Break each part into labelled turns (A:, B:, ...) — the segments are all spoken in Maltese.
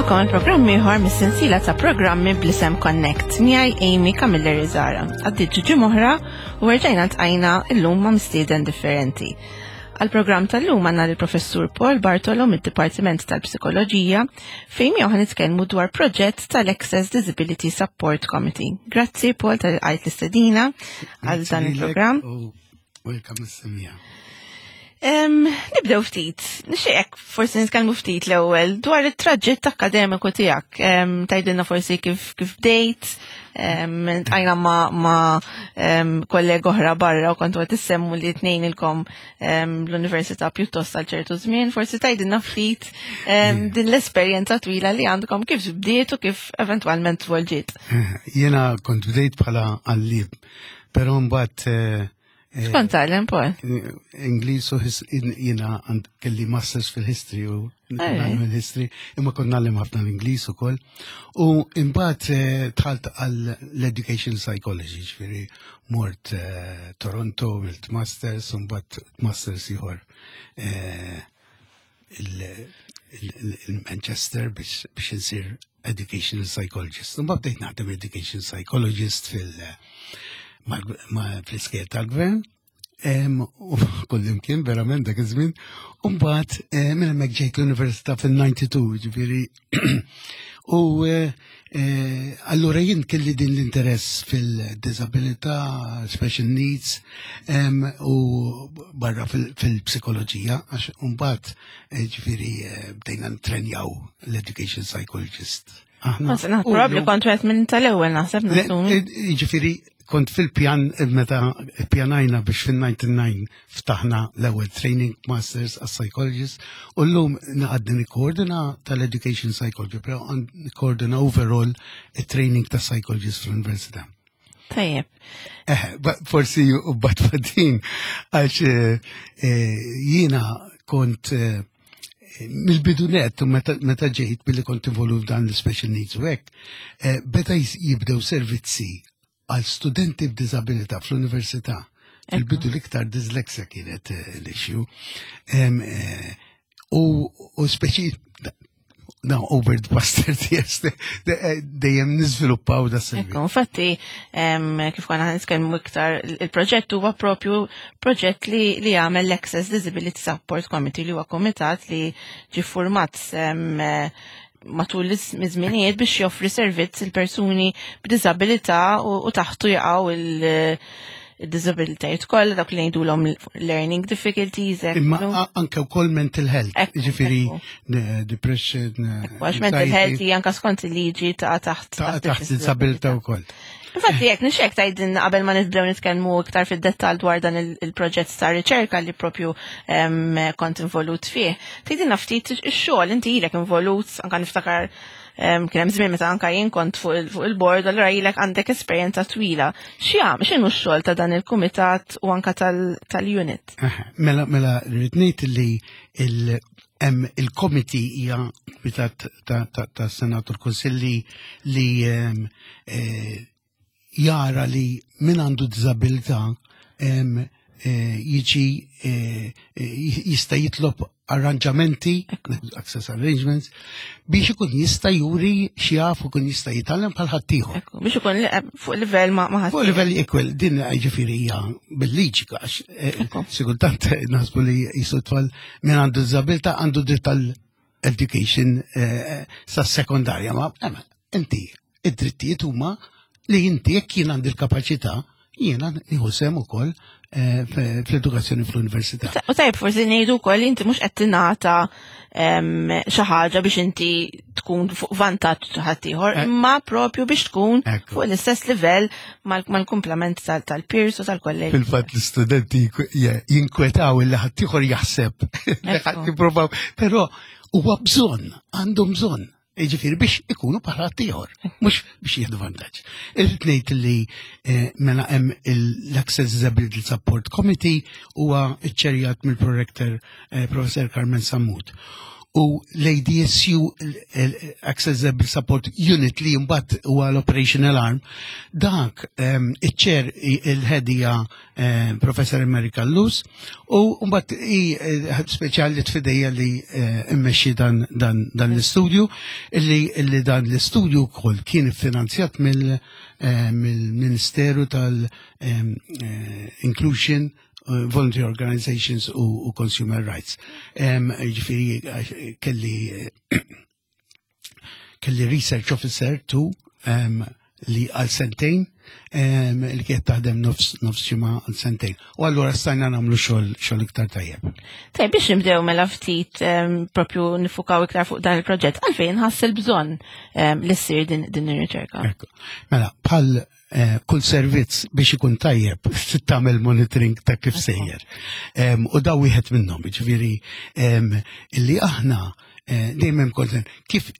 A: Nilqakom għal programm ieħor mis-sensiela ta' programmi bl-isem Connect miegħi Amy Camilleri Zara. Għaddiet ġimgħa oħra u rġajna ltqajna llum ma' mistieden differenti. Għal-programm tal-lum għandna l-Professur Paul Bartolo mid-Dipartiment tal-Psikoloġija fejn miegħu ħanitkellmu dwar proġett tal-Access Disability Support Committee. Grazzi Paul tal-għajt l-istedina għal dan il-programm.
B: Welcome is-semija.
A: Nibdew ftit, nixtieqek forsi nitkellmu ftit l-ewwel dwar it-traġitt akkademiku tiegħek. Tgħidilna forsi kif kif bdejt, tqajna ma, ma kollega oħra barra u kontu qed issemmu li tnejn ilkom l-università pjuttost għal ċertu żmien, forsi tgħidilna ftit din l-esperjenza twila li għandkom kif bdiet u kif eventwalment tvolġiet.
B: Jiena kont bdejt bħala għalliem, però mbagħad eh,
A: X'kont tgħallem Paul?
B: Ingliż u jiena kelli masters fil-history u nagħmel history, imma kont nagħllem ħafna l-Ingliż ukoll. U imbagħad eh, dħalt għal l-education psychology, ġifieri mort eh, Toronto, għamilt masters, u mbagħad masters ieħor eh, il-Manchester biex insir educational psychologist. Mbagħad bdejt naħdem education psychologist fil- fl-iskejjel tal-gvern. U kullimkien verament dak iż-żmien. U mbagħad eh, minn hemmhekk ġejt l-università fil-92, ġifieri. U eh, eh, allura jien kelli din l-interess fil-disabilità, special needs, u barra fil-psikoloġija, għax mbagħad ġifieri bdejna ntrenjaw l-education psychologist.
A: Aħna. Probabli kont wieħed minn tal-ewwel naħseb nassumi.
B: Ġifieri kont fil-pjan meta pjanajna biex fil-99 ftaħna l-ewwel training masters as psychologist u llum naqadni nikkoordina tal-education psychology, però nikkoordina overall it-training ta' psychologist fl-università.
A: Tajjeb.
B: Eh, forsi u batfadin għax eh, eh, jiena kont mill-bidu net u meta ġejt billi kont involut f'dan l-special needs u hekk, beta jibdew servizzi għal studenti b'diżabilità fl-università. Fil-bidu l-iktar dyslexia kienet l-issue. U speċi no, over the past 30 years, dejjem niżviluppaw da
A: servizz. Ekku, infatti, kif konna nitkellmu iktar, il-proġett huwa propju proġett li li jagħmel l-Access Disability Support Committee li huwa komitat li ġi format matul iż-żminijiet biex joffri servizz il-persuni b'diżabilità u taħtu jaqgħu il-disabilitajiet kollha dak li ngħidulhom learning difficulties.
B: Imma anke wkoll mental health, ġifieri depression.
A: Għax mental health hija anke skont il-liġi ta' taħt.
B: Taħt disabilità wkoll.
A: Infatti, jekk nixek tgħidilna qabel ma nibdew nitkellmu iktar fid-dettall dwar dan il-proġett ta' riċerka li propju kont involut fih. Tgħidilna ftit ix-xogħol inti ilek involut anke niftakar kien hemm żmien meta anke jien kont fuq il-board, allura ilek għandek esperjenza twila. X'jam, x'inhu x-xogħol ta' dan il-kumitat u anke tal-unit?
B: Mela, mela, rrid ngħid li hemm il-committee hija kumitat ta' Senat u l-Kunsilli li jara li min għandu disabilità jiġi jista' jitlob arranġamenti, access arrangements, biex ikun jista' juri x'jaf u kun jista' jitgħallem bħal ħaddieħor.
A: Biex ikun fuq livell ma'
B: ħadd. Fuq livell equal, din ġifieri hija bil-liġi għax sigurtant naħsbu li jisu tfal min għandu disabilità għandu dritt tal-education sa sekondarja, ma inti id-drittijiet huma li inti jekk jien għandi l-kapaċità jiena nieħu sehem ukoll fl-edukazzjoni fl-università.
A: U tajb forsi ngħidu wkoll li inti mhux qed tingħata xi ħaġa biex inti tkun fuq vantaġġ ħaddieħor, imma propju biex tkun fuq l-istess livell mal-kumplament tal-peers u tal-kollegi.
B: Fil-fatt l-istudenti jinkwetaw illi ħaddieħor jaħseb li ħadd jippruvaw, però huwa bżonn, għandhom bżonn. Ġifieri biex ikunu bħala ieħor, mhux biex jieħdu vantaġġ. Irrid ngħid li mela hemm l-Access Disability Support Committee huwa ċċerjat mill-prorector Professor Carmen Sammut. U l-ADSU, Accessible Support Unit, li mbagħad huwa l-Operational Arm, dak iċ-chair il-head hija Professor America Luz, u mbagħad hi speċjali tfidejja li immexxi dan l-istudju, illi dan l-istudju wkoll kien iffinanzjat mill-Ministeru tal-Inclusion, Voluntary Organizations u Consumer Rights. Ġifieri kelli research officer tu li għal sentejn li kienet taħdem nofs ġimgħa għal sentejn. U allura stajna nagħmlu xogħol iktar tajjeb.
A: Tajjeb biex nibdew mela ftit propju nifukaw iktar fuq dan il-proġett, għalfejn ħass il-bżonn li ssir din ir-riċerka.
B: Mela, bħal kull servizz biex ikun tajjeb trid tagħmel monitoring ta' kif sejjer. U daw wieħed minnhom, jiġifieri illi aħna dejjem hemm kont kif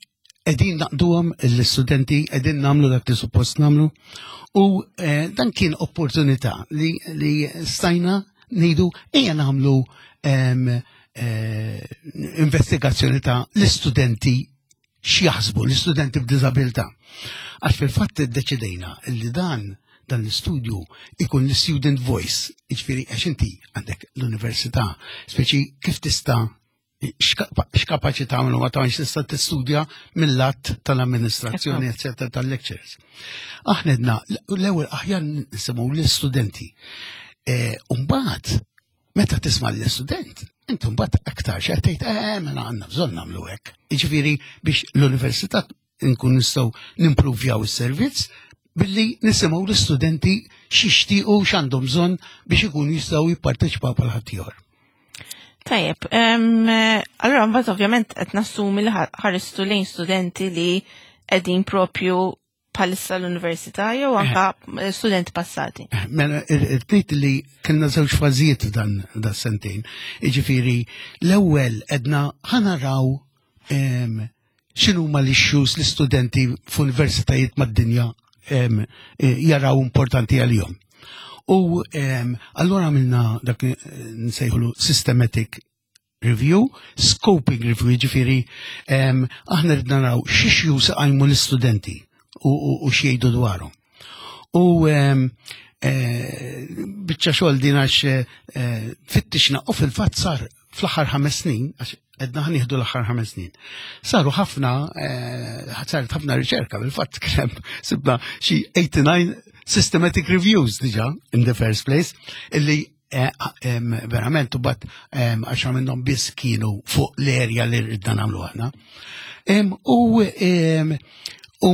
B: qegħdin naqduhom l-istudenti, qegħdin nagħmlu dak li suppost nagħmlu. U dan kien opportunità li stajna ngħidu ejja nagħmlu investigazzjoni ta' l-istudenti x'jaħsbu l-istudenti b'diżabilità. Għax fil-fatt iddeċidejna li dan l-istudju ikun l-student voice, jiġifieri għax inti għandek l-università, speċi kif tista' x'kapaċi tagħmlu ma tagħmilx tista' tistudja mill-att tal-amministrazzjoni, eccetera, tal-lectures. Aħna edna l-ewwel aħjar nisimgħu l-istudenti. U mbagħad meta tisma' l-istudent, inti mbagħad aktar xi tgħid, mela għandna bżonn nagħmlu hekk. Jiġifieri biex l-università nkun nistgħu nimpruvjaw is-servizz billi nisimgħu l-istudenti x'jixtiequ x'għandhom bżonn biex ikunu jistgħu jipparteċipaw bħal ħaddieħor.
A: Tajjeb, allura mbagħad ovvjament qed nassumi li ħaristu lejn studenti li qegħdin propju bħalissa l-università jew anka studenti passati.
B: Mela, irrid li kellna żewġ fażijiet dan da sentejn. Jiġifieri l-ewwel edna ħanaraw x'inhuma l-issues l-istudenti f'universitajiet mad-dinja jaraw importanti għalihom. U allura għamilna dak nsejħulu systematic review, scoping review, jiġifieri aħna ridna naraw x'issues qajmu l-istudenti u x'jgħidu dwarhom. U biċċa xogħol din għax fittixna u fil-fatt sar fl-aħħar 5 snin, għax għedna ħa nieħdu l-aħħar 5 snin. Saru ħafna, saret ħafna riċerka, fil-fatt kien hemm sibna xi 89 systematic reviews diġà in the first place, illi verament u bat għaxa minnhom biss kienu fuq l-erja li ridna nagħmlu aħna. U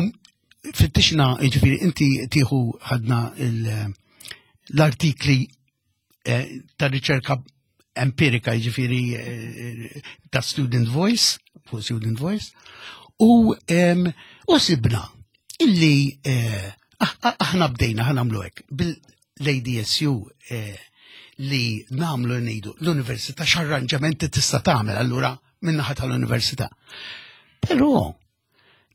B: fittixna, jiġifieri inti tieħu ħadna l-artikli ta' riċerka empirika, jiġifieri ta' Student Voice, fuq Student Voice, u sibna illi aħna bdejna ħa nagħmlu hekk bil-ADSU li nagħmlu ngħidu l-università x'arranġamenti tista' tagħmel allura min-naħa tal-università. Però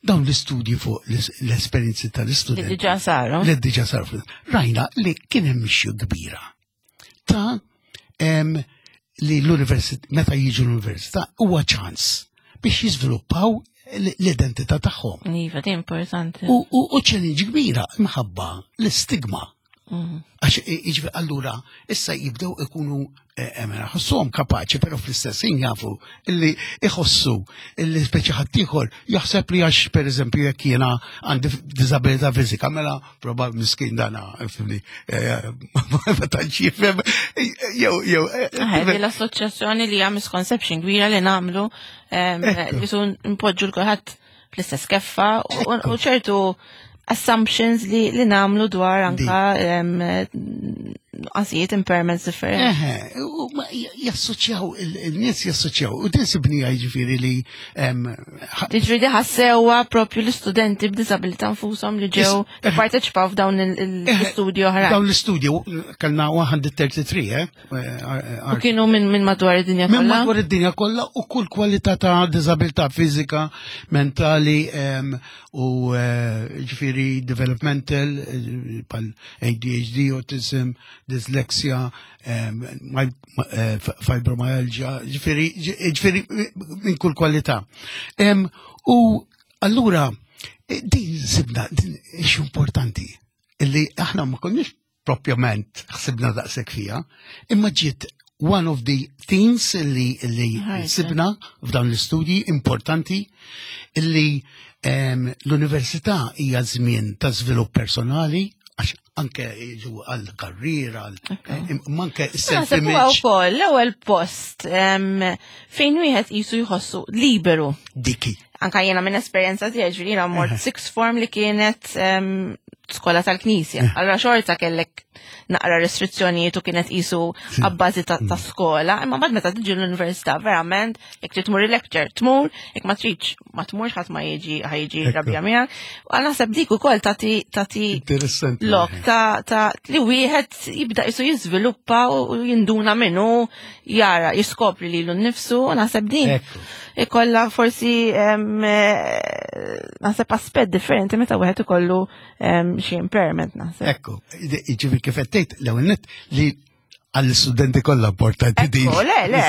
B: dawn l-istudji fuq l-esperjenzi tal-istudenti.
A: Li diġà saru.
B: Li diġà saru. Rajna li kien hemm issue kbira ta' li l-università, meta jiġu l-università, huwa ċans biex jiżviluppaw l-identità tagħhom.
A: Iva, di importanti.
B: U challenge kbira imħabba l-istigma. Għax jiġifieri allura issa jibdew ikunu mela, ħossuhom kapaċi, però fl-istess ħin jafu illi iħossu illi speċi ħaddieħor jaħseb li għax pereżempju jekk jiena għandi diżabilità fiżika, mela probab miskin dana, fimni, ma tantx jifhem, jew, jew,
A: L-assoċjazzjoni li hija misconception kbira li nagħmlu, li sun npoġġu l-kulħadd fl-istess keffa u ċertu assumptions li namlu dwar anka qasijiet impairments differenti.
B: Eħe, u ma jassoċjaw, il-nies jassoċjaw, u din sibnija jiġifieri li,
A: Jiġifieri di ħassewa propju l-istudenti b'diżabilità nfushom li ġew parteċipaw f'dawn l-istudji oħra.
B: Dawn l-istudji, kellna 133,
A: U kienu minn madwar id-dinja
B: Minn
A: kollha?
B: madwar id-dinja kollha u kull kwalità ta' diżabilità fiżika, mentali, u ġifieri developmental, pal ADHD, autism, dyslexia, fibromyalgia, ġifieri ġifieri minn kull kwalità. U allura din sibna din ix importanti illi aħna ma konniex propjament ħsibna daqshekk fiha, imma ġiet one of the things li, li sibna f'dawn l-istudji importanti illi l-università hija żmien ta' żvilupp personali għax anke jiġu għal karriera, anke
A: self-image. Ukoll l-ewwel post fejn wieħed jisu jħossu liberu.
B: Diki.
A: Anka jiena minn esperjenza tiegħi ġifieri jiena mort sixth form li kienet skola tal-knisja. Allora xorta kellek naqra restrizzjonijiet u kienet qisu abbażi ta' skola, imma mbagħad meta tiġi l-università verament jekk trid tmur il-lecture tmur, jekk ma tridx ma tmurx ħadd ma jiġi ħajġi rabja miegħek. U naħseb dik ukoll tagħti tagħti lok ta' li wieħed jibda qisu jiżviluppa u jinduna minnu jara jiskopri lilu nnifsu u naħseb din ikolla forsi eh, naħseb aspett differenti meta wieħed ikollu xi impairment naħseb.
B: Ekku, ġifi kif qed tgħid l-ewwel nett li għall-studenti kollha importanti din.
A: Le, le,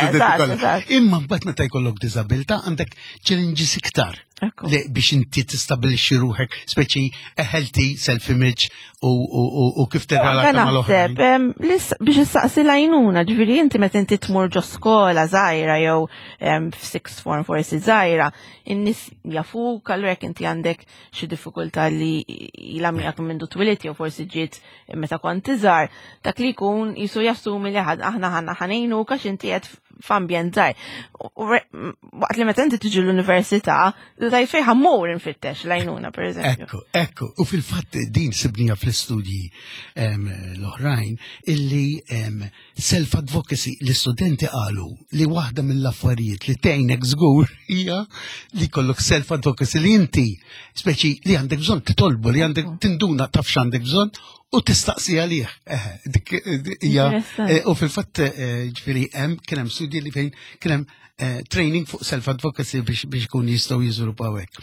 B: Imma mbagħad meta jkollok diżabilità għandek challenges iktar li biex inti tistabilixxi ruħek, speċi healthy self-image u kif tirrelata mal-oħrajn.
A: Biex issaqsi l-għajnuna, ġifieri inti meta inti tmur ġo skola żgħira jew f'sixth form forsi żgħira, in-nies jafuk, allura jekk inti għandek xi diffikultà li ilha miegħek minn twilit jew forsi ġiet meta kont iżgħar, dak li jkun jisu jassumi li aħna ħanna ħanejnu għax inti qed f'ambjent żgħir. Waqt li meta inti tiġi l-università, tajt fejn ħammur infittex l-għajnuna pereżempju.
B: Ekku, ekku, u fil-fatt din sibnija fl-istudji l-oħrajn illi Self-advocacy, l-istudenti qalu li waħda mill-affarijiet li tgħinek żgur hija li jkollok self-advocacy li inti speċi li għandek bżonn titolbu li għandek tinduna taf x'għandek bżonn u tistaqsi għalih. Dik hija eh, u fil-fatt eh, ġifieri hemm kien hemm studji li fejn kien hemm eh, training fuq self-advocacy biex biex ikun jistgħu jiżviluppaw hekk.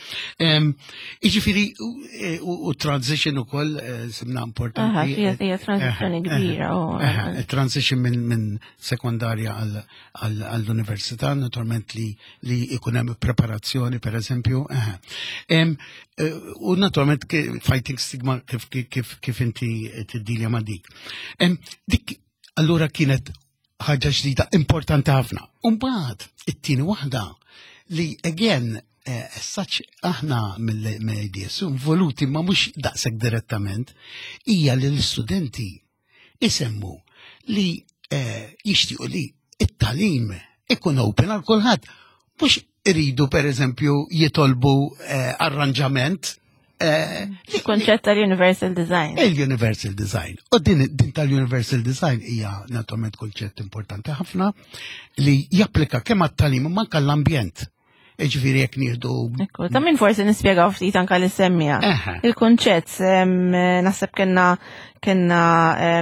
B: Jiġifieri eh, u transition ukoll eh, simna importanti.
A: Hija transizzjoni kbira.
B: Transition minn sekondarja għall-università, naturalment li li ikun hemm preparazzjoni pereżempju. U naturalment fighting stigma kif kif inti tiddilja ma' dik. Dik allura kienet ħaġa ġdida importanti ħafna. Umbagħad it-tieni waħda li again eh, as such aħna mill-IDS involuti ma mhux daqshekk direttament hija li l-istudenti isemmu li eh, jixtiequ li it-talim ikun open għal kulħadd mhux iridu per eżempju jitolbu eh, arranġament.
A: Eh, Il-konċett tal-Universal Design.
B: Il-Universal Design. U din, din tal-Universal Design hija naturalment konċett importanti ħafna li japplika kemm għat-talim ma anke l-ambjent. Ġifieri jekk nieħdu.
A: Ekku, ta' min forsi nispjegaw ftit anke li semmija. Il-kunċett naħseb kellna kellna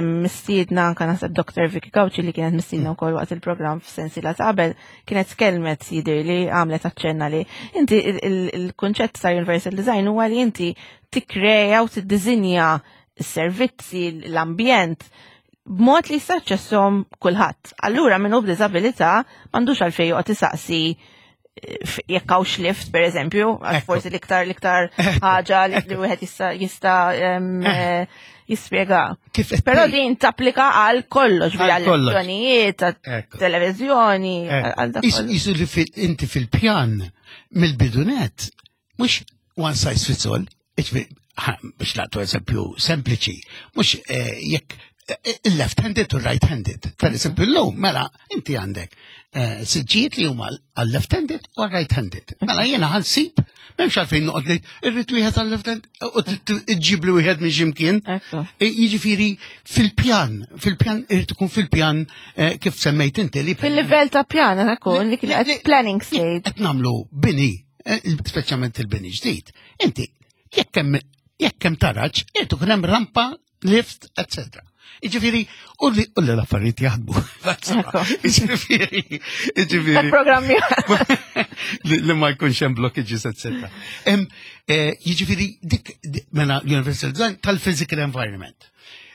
A: mistiedna anke naħseb Dr. Vicky Gauci li kienet mistiedna wkoll waqt il-programm f'sensiela ta' qabel kienet tkellmet jidher li għamlet aċċenna li inti il-kunċett ta' Universal Design huwa li inti tikkreja u tiddiżinja s-servizzi, l-ambjent b'mod li jista' jaċċesshom kulħadd. Allura min hu b'diżabilità m'għandux għalfejn joqgħod isaqsi jekk hawnx lift per eżempju, għax forsi l-iktar l-iktar ħaġa li wieħed jista' jista' eh, jispjega. Però din tapplika għal kollox, għal lezzjonijiet, televiżjoni, għal
B: dak. Isu li inti fil-pjan mill-bidunet, mhux one size fits all, biex nagħtu eżempju sempliċi, mhux eh, jekk eh, il-left-handed u right-handed. Per eżempju, l-lum, mela, inti għandek eh, siġġijiet li huma għal-left-handed u right-handed. Mela jiena ħansib, m'hemmx għalfejn noqgħod li irrid wieħed għal-left-handed u tġib li wieħed minn x'imkien. Jiġifieri fil-pjan, fil-pjan irid ikun fil-pjan kif semmejt inti li.
A: Fil-livell ta' pjan ikun li kien planning stage.
B: Qed nagħmlu bini speċjalment il-bini ġdid. Inti jekk hemm jekk hemm taraġ, irid ikun hemm rampa, lift, etc. Iġifieri, u li u li l-affarijiet jaħdmu. Iġifieri, iġifieri.
A: Programmi.
B: Li ma jkunx hemm blockages, etc. Eh, jiġifieri dik mela Universal Design tal-physical environment.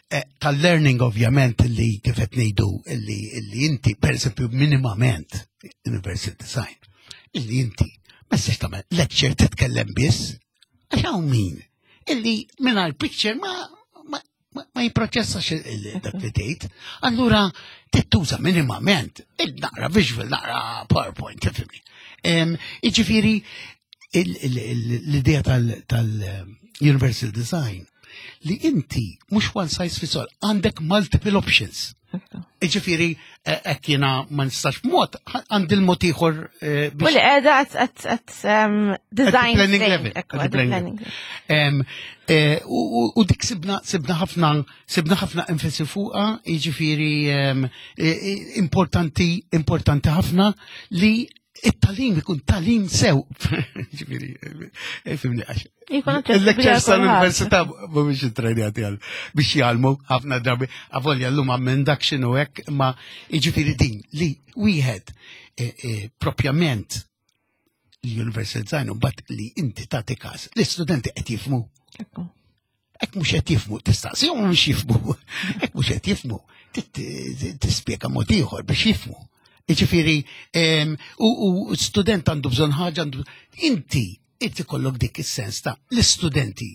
B: Tal-learning ovvjament li kif qed ngħidu li inti pereżempju minimament universal design illi inti ma tistax tagħmel lecture titkellem biss għax hawn min illi mingħajr picture ma ma, ma jipproċessax dak li tgħid. Allura tittuża minimament il-naqra visual, naqra PowerPoint, tifhimni. Jiġifieri l-idea tal-universal design li inti mhux one size fits all, għandek multiple options. Iġifieri, hekk jiena ma nistax mod, għandi l-mod ieħor.
A: U li qiegħda at design
B: planning level. U dik sibna sibna ħafna sibna ħafna enfasi fuqha, jiġifieri importanti importanti ħafna li it-tagħlim ikun tagħlim sew. Ġifieri, fimni għax. Il-lectures tal-università mhumiex ittrejnjati għal biex jgħallmu ħafna drabi, avolja llum minn dak x'inhu hekk, ma jiġifieri din li wieħed propjament l-Universal Design u mbagħad li inti tagħti każ l-istudenti qed jifhmu. Hekk mhux qed jifhmu, tistaqsihom mhux jifhmu. Hekk mhux qed jifhmu, tispjega mod ieħor biex jifhmu. Jiġifieri, u student għandu bżonn ħaġa, għandu inti inti kollok dik is-sens ta' l-istudenti.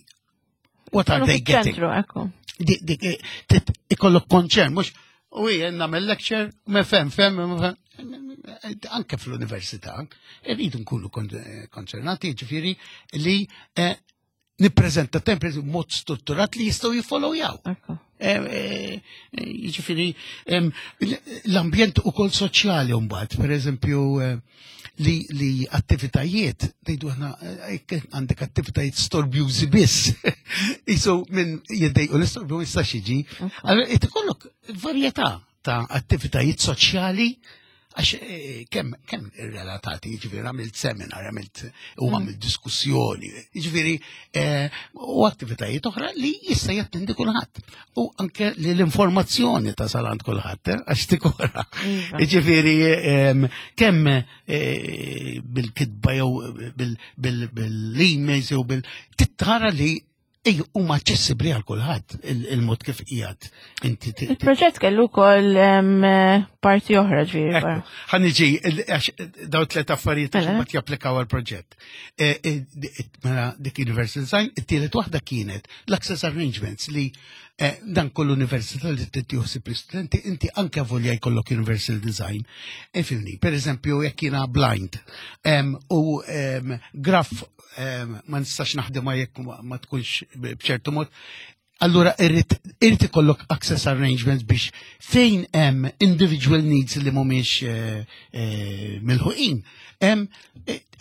B: What are they getting? Dik ikollok konċern, mhux u jien nagħmel lecture, ma fem, fem, ma fem. Anke fl-università, irridu nkunu konċernati, ġifieri li nippreżenta temp mod strutturat li jistgħu jiffollowjaw. Jiġifieri l-ambjent ukoll soċjali mbagħad, pereżempju li, li attivitajiet, ngħidu aħna għandek attivitajiet storbjużi biss. Isu minn jiddejqu l-istorbju ma jistax jiġi. Allora ikollok varjetà ta' attivitajiet soċjali għax kemm kemm relatati, jiġifieri għamilt seminar, għamilt u għamilt diskussjoni, jiġifieri u attivitajiet oħra li jista' jattendi kulħadd. U anke li l-informazzjoni tasal għand kulħadd, għax tikora. Jiġifieri kemm bil-kitba jew bil-emails jew bil tittara li Ej, huma aċċessibbli għal kulħadd il-mod kif qiegħed inti.
A: Il-proġett kellu wkoll parti oħra ġifieri.
B: Ħa niġi daw tliet affarijiet biex mbagħad japplikaw għall-proġett. Mela dik Universal Design, it-tielet waħda kienet l-access arrangements li dan kull università li tieħu l-istudenti, inti anke volja jkollok Universal Design. Ifhimni, per eżempju, jekk jiena blind u graf ma nistax naħdimha jekk ma tkunx b'ċertu mod. Allura irrid irrid ikollok access arrangements biex fejn hemm individual needs li mhumiex milħuqin, hemm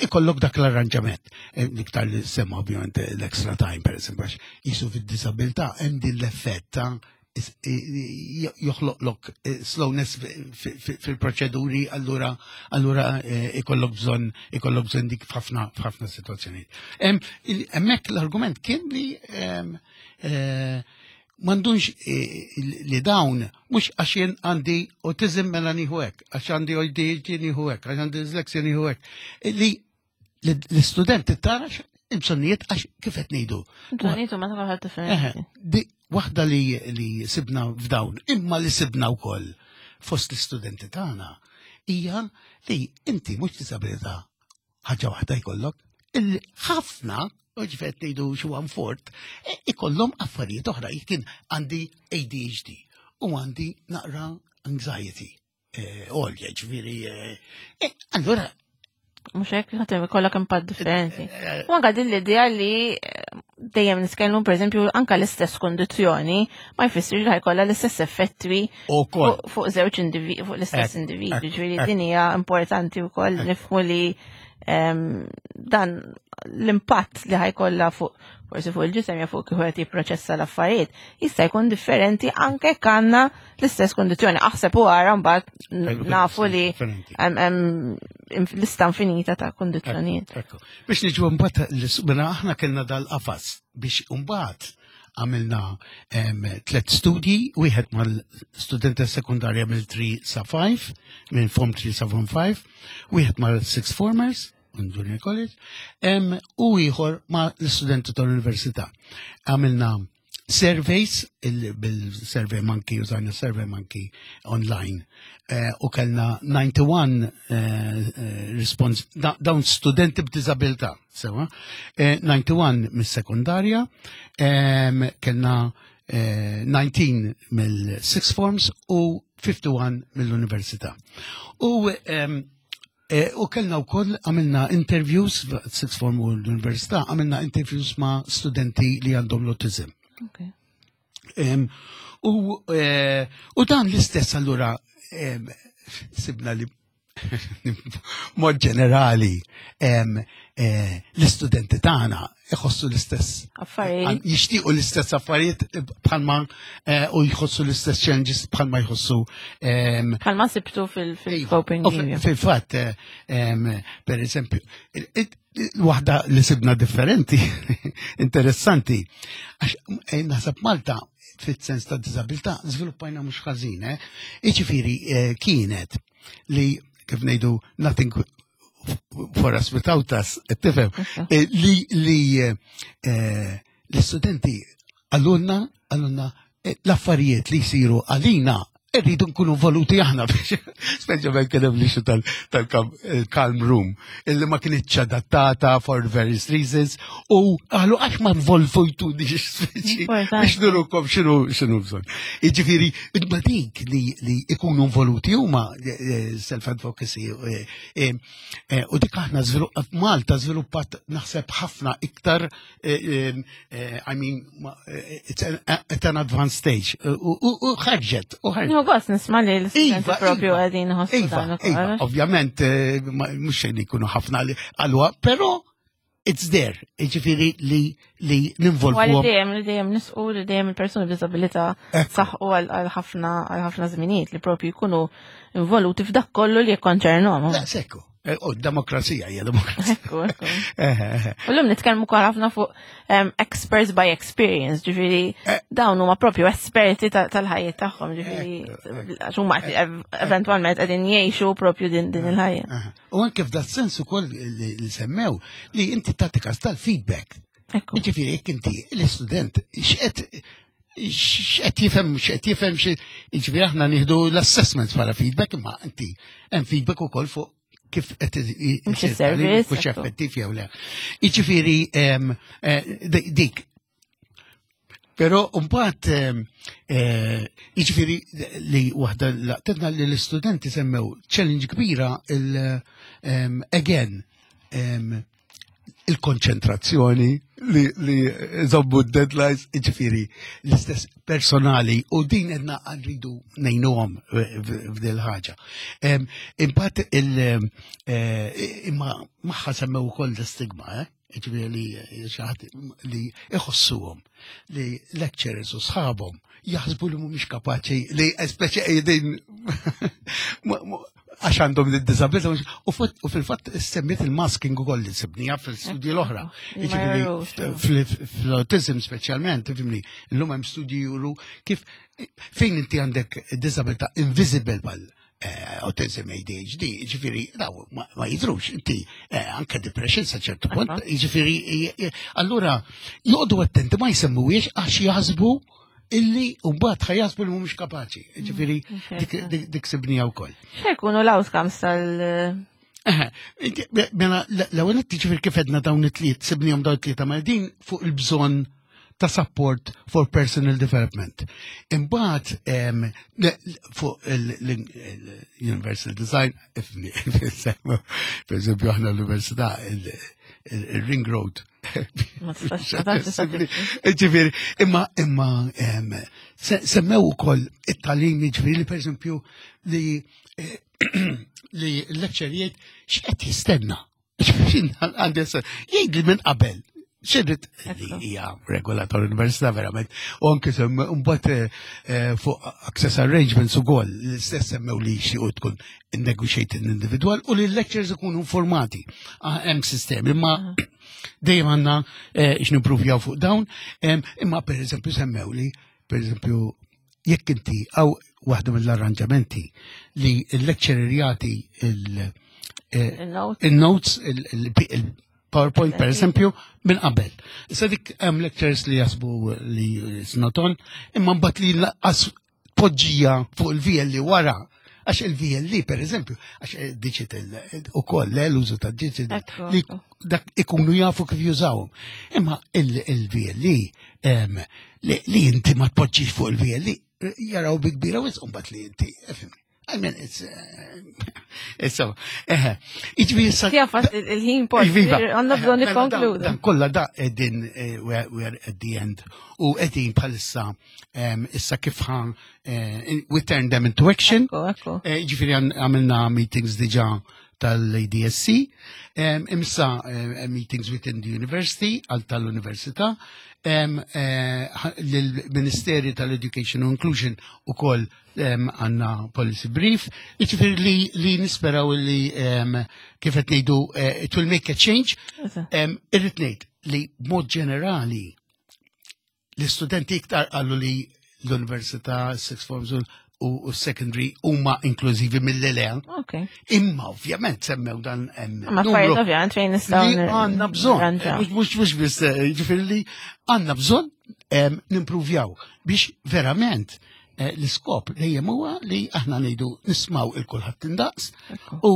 B: ikollok dak l-arranġament. L-iktar li semma ovvjament l-extra time, per esempio, għax jisu fid-disabilità hemm din l-effett ta' joħloqlok slowness fil-proċeduri, allura ikollok bżonn dik f'ħafna situazzjonijiet. Hemmhekk l-argument kien li m'għandux li dawn mhux għax jien għandi autism mela nieħu hekk, għax għandi ADHD nieħu hekk, għax għandi dyslexia nieħu hekk. Li l-istudent tara il-bżonnijiet għax kif qed ngħidu.
A: Bżonnijiet huma ta' kulħadd differenti.
B: Di waħda li sibna f'dawn, imma li sibna wkoll fost l-istudenti tagħna hija li inti mhux disabilità ħaġa waħda jkollok, il-ħafna, u ġifet ngħidu xi one fourth, ikollhom affarijiet oħra. Jien għandi ADHD u għandi naqra anxiety. Għolja, ġifieri, allura
A: Mhux hekk ħadd ikollok impatt differenti. U anka din l-idea li dejjem nitkellmu, pereżempju, anka l-istess kondizzjoni ma jfissirx li ħa jkollha l-istess effetti fuq żewġ individwi, fuq l-istess individwi. Ġifieri din hija importanti wkoll nifhmu li dan l-impatt li ħa jkollha fuq forsi fuq il-ġisem jew fuq kif qed jipproċessa l-affarijiet jista' jkun differenti anke jekk għandna l-istess kondizzjoni. Aħseb u ara mbagħad nafu li hemm lista infinita ta' kondizzjonijiet.
B: Biex niġu mbagħad mela aħna kellna dal-qafas biex mbagħad għamilna tlet studji, wieħed mal-studenti sekundarja mill-3 sa 5, minn Form 3 sa Form 5, wieħed mal-Sixth Formers, minn Junior College, u ieħor ma' l-studenti tal-università. Għamilna surveys, bil-survey monkey, użajna survey monkey online, eh, u kellna 91 eh, eh, response, dawn studenti b'diżabilità, sewa, 91 mis-sekundarja, kellna 19 mill-sixth forms u 51 mill-università. U u kellna wkoll għamilna interviews sixth form u l-università, għamilna interviews ma' studenti li għandhom l-autism. Okay. U, eh, u dan l-istess allura sibna li mod ġenerali eh, l-istudenti tagħna iħossu l-istess
A: affarijiet.
B: Jixtiequ l-istess affarijiet bħalma eh, u jħossu l-istess challenges bħalma jħossu.
A: Bħalma sibtu fil-coping.
B: Iva, fil-fatt, per eżempju, waħda li sibna differenti, interessanti, għax eh, naħseb Malta fit-sens ta' disabilità żviluppajna mhux ħażin, eh? Iġifieri kienet li kif ngħidu nothing for us without us, tifhem, eh, li li eh, eh, l-istudenti għallunna għallunna l-affarijiet li jsiru għalina irridu nkunu voluti aħna biex speċjalment kien hemm l-issue tal-calm room illi ma kienitx adattata for various reasons u qalu għax ma nvolvujtu biex nurukom x'inhu x'inhu bżonn. Jiġifieri imma dik li li ikunu involuti huma self-advocacy u dik aħna Malta żviluppat naħseb ħafna iktar I mean it's at an advanced stage u ħarġet u
A: ħarġet. Nieħu gost nisma' li l-istudenti iva, propju iva. qegħdin iħossu
B: iva, dan ukoll. Iva, ovvjament mhux xejn jkunu ħafna li qalwa, però it's there, ġifiri li li ninvolvu.
A: Għal dejjem li dejjem nisqu li dejjem il-persuni b'disabilità saħqu għal ħafna għal ħafna żminijiet li propju jkunu involuti f'dak kollu li jikkonċernhom.
B: Sekku. Eh, u demokrazija hija demokrazija.
A: Ekku, ekku. U llum nitkellmu wkoll ħafna fuq experts by experience, ġifieri eh. dawn huma propju esperti tal-ħajja tagħhom, ġifieri għax huma eventwalment qegħdin jgħixu propju din din il-ħajja.
B: U anke f'dat sens ukoll li semmew li inti tagħti każ tal-feedback. Ġifieri jekk inti l-istudent x'qed x'qed jifhem x'qed jifhem ġifieri aħna nieħdu l-assessments bħala feedback imma inti hemm feedback ukoll fuq kif qed
A: isir
B: effettiv jew le. Jiġifieri eh, dik Pero mbagħad eh, jiġifieri li waħda laqtetna li l-istudenti semmew challenge kbira il again il-konċentrazzjoni li, li zombu deadlines, ġifiri, l-istess personali u din edna rridu nejnuhom f'dil ħaġa. Imbagħad il eh, imma magħha semmew ukoll l-istigma, eh? ġifiri li xaħat li iħossuhom li lecturers u sħabhom jaħsbu li mhumiex kapaċi li speċi qegħdin għax għandhom d-disabilità u fil-fatt semmiet il-masking ukoll li sibnija fil-studji l-oħra. Fl-autism speċjalment, fimni, illum hemm studji juru kif fejn inti għandek disabilità invisible bħal eh, autism ADHD, ġifiri, daw, ma jidrux, inti eh, anke depression sa ċertu punt, ġifiri, allura joqdu attenti ma jsemmuwiex għax jaħsbu illi mbagħad ħajasbu li mhumiex kapaċi. Ġifieri mm, dik sibnija wkoll.
A: X'jkunu l-outcomes tal-
B: Mela, l-ewwel qed ġifieri kif edna dawn it-tliet, sibnihom dawn it-tlieta ma din fuq il-bżonn ta' support for personal development. Imbagħad fuq il-Universal Design, per eżempju aħna l-Università il-Ring Road Ġifieri, imma imma semmew ukoll it-talim ġifieri per eżempju li eh, li l-lecture x'qed jistenna. Jgħid li minn qabel xirrit li hija regola tal-università verament. U anke mbagħad eh, eh, fuq access arrangements ukoll l-istess semmew li xi tkun negotiated individual u li l-lectures ikunu informati. Ah, hemm sistemi, imma ah. dejjem għandna eh, x'nimpruvjaw fuq dawn, imma per eżempju semmew li per eżempju jekk inti għaw waħda mill-arranġamenti li l-lecturer jagħti il-notes, eh, PowerPoint per eżempju minn qabel. Issa dik hemm lectures li jasbu li it's not on, imma mbagħad li laqqas poġġija fuq il-VLE wara għax il-VLE per eżempju, għax eh, digital eh, u koll eh, l-użu ta' digital li dak ikunu jafu kif jużawhom. Imma il-VLE li inti ma tpoġġix fuq il-VLE jaraw bi kbira wisq mbagħad li inti, fimni. I mean, it's, it's so, eħe. Iġvi
A: sa. Jafas il-ħin pol. Iva. Għanna bżon nikkonkludu.
B: Dan kolla da edin, we are at the end. U edin bħalissa, issa kif ħan, we turn them into action. Ġifiri għamilna meetings diġa tal-ADSC, imsa meetings within the university, għal tal-università, l-Ministeri tal-Education u Inclusion u koll għanna policy brief, iġifiri li, li nisperaw li kif qed ngħidu eh, it will make a change. Irrid ngħid li b'mod ġenerali l-istudenti iktar qalu li l-università, six forms u secondary huma inklużivi mill-lea. Imma ovvjament semmew dan
A: hemm. Ma affarijiet ovvjament fejn nistgħu
B: għandna bżonn. Mhux mhux biss eh, ġifieri li għandna bżonn nimpruvjaw biex verament Eh, l-iskop dejjem huwa li aħna ngħidu nismaw il kulħadd indaqs u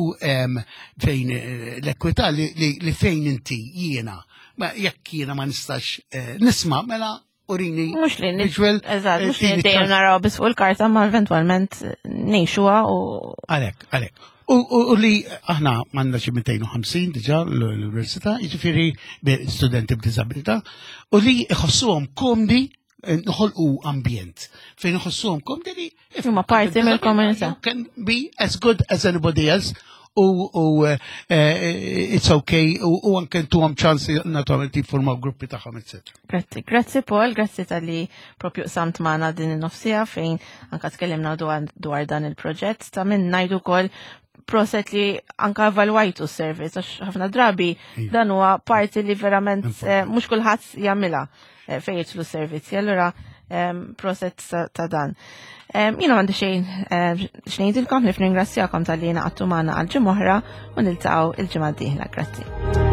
B: fejn eh, l-ekwità li fejn inti jiena ma jekk jiena ma nistax eh, nisma' mela urini.
A: Mux li visual. Eżatt, mux li dejjem naraw biss fuq il-karta ma eventwalment ngħixuha u.
B: Għalhekk, għalhekk. U li aħna għandna xi 250 diġà l-università, jiġifieri studenti b'diżabilità, u li jħossuhom komdi noħolqu ambjent fejn iħossuhom komdi li
A: huma parti mill-komunità.
B: Can be as good as anybody else u u eh, eh, it's okay u anke ntuhom ċans naturalment jiffurmaw gruppi tagħhom etc.
A: Grazzi, grazzi Paul, grazzi tal-li propju samt magħna din in-nofsija fejn anka tkellimna dwar dan il-proġett ta' minn ngħidu wkoll proset li anka evalwajtu s-servizz għax ħafna drabi iva. dan huwa parti li verament eh, mhux kulħadd jagħmilha eh, fejn jidħlu s-servizzi. Allura proset ta' dan. Jiena m'għandi xejn eh, xnejdilkom li f'ningrazzjakom tal-li naqattu magħna għal ġimgħa oħra u niltaqgħu il-ġimgħa d-dieħla. Grazzi.